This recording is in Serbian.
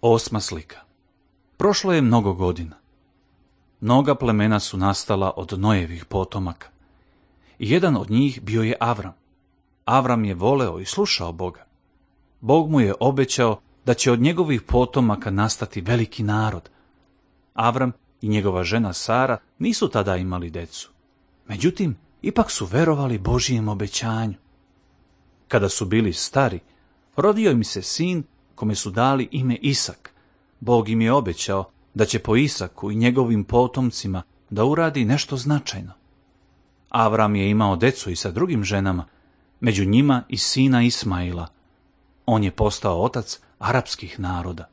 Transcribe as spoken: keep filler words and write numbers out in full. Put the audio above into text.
Osma slika. Prošlo je mnogo godina. Mnoga plemena su nastala od Nojevih potomaka. I jedan od njih bio je Avram. Avram je voleo i slušao Boga. Bog mu je obećao da će od njegovih potomaka nastati veliki narod. Avram i njegova žena Sara nisu tada imali decu. Međutim, ipak su verovali Božijem obećanju. Kada su bili stari, rodio im se sin kome su dali ime Isak. Bog im je obećao da će po Isaku i njegovim potomcima da uradi nešto značajno. Avram je imao decu i sa drugim ženama, među njima i sina Ismaila. On je postao otac arapskih naroda.